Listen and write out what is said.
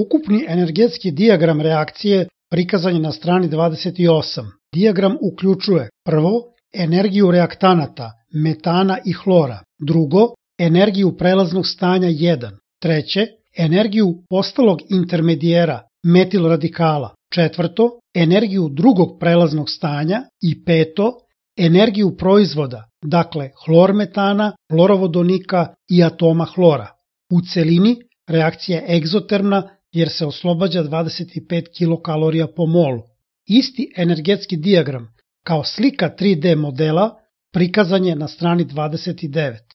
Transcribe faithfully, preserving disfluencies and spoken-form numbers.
Ukupni energetski dijagram reakcije prikazan je na strani dvadeset osam. Dijagram uključuje prvo energiju reaktanata, metana i hlora, drugo energiju prelaznog stanja jedan, treće energiju postalog intermedijera, metil radikala, četvrto energiju drugog prelaznog stanja i peto energiju proizvoda, dakle hlor metana, hlorovodonika i atoma hlora. U celini reakcija je egzotermna jer se oslobađa dvadeset pet kilokalorija po molu. Isti energetski dijagram kao slika tri D modela prikazan je na strani dvadeset devet.